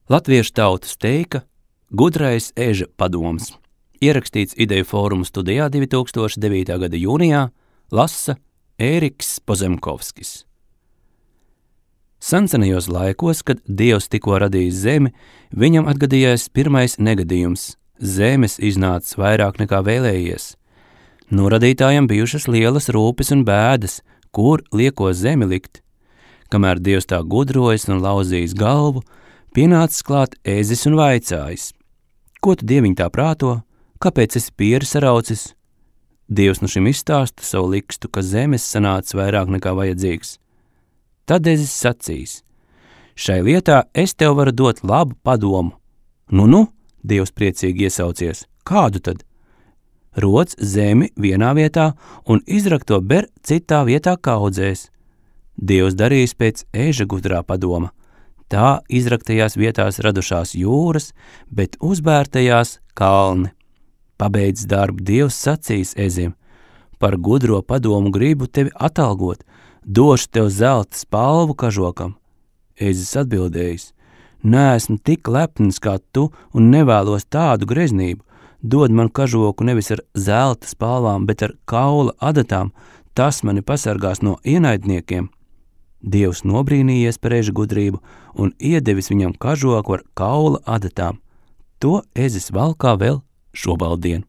Latviešu tautas teika Gudrais eža padoms. Ierakstīts Ideju fóruma studijā 2009. gada jūnijā, lasa Ēriks Pozemkovskis. Sensenajos laikos, kad Dievs tikko radījis zemi, viņam atgadījās pirmais negadījums. Zemes iznācis vairāk nekā vēlējies. No radītājiem bijušas lielas rūpes un bēdas, kur lieko zemi likt. Kamēr Dievs tā gudrojas un lauzījis galvu, pienācis klāt ēzis un vaicājis: ko tu, Dieviņ, tā prāto? Kāpēc esi pieri saraucis? Dievs no šim izstāsta savu likstu, ka zemes sanācis vairāk nekā vajadzīgs. Tad ēzis sacīs: šai lietā es tev varu dot labu padomu. Nu, Dievs priecīgi iesaucies: kādu tad? Roc zemi vienā vietā un izrakto ber citā vietā kaudzēs. Dievs darīs pēc eža gudrā padoma. Tā izraktajās vietās radušās jūras, bet uzbērtajās kalni. Pabeidz darbu, Dievs sacīs ezim: par gudro padomu gribu tevi atalgot, došu tev zelta spalvu kažokam. Ezis atbildējis: neesmu tik lepns kā tu un nevēlos tādu greznību. Dod man kažoku nevis ar zelta spalvām, bet ar kaula adatām, tas mani pasargās no ienaidniekiem. Dievs nobrīnījies par eža gudrību un iedevis viņam kažoku ar kaula adatām. To ezis valkā vēl šobaldien.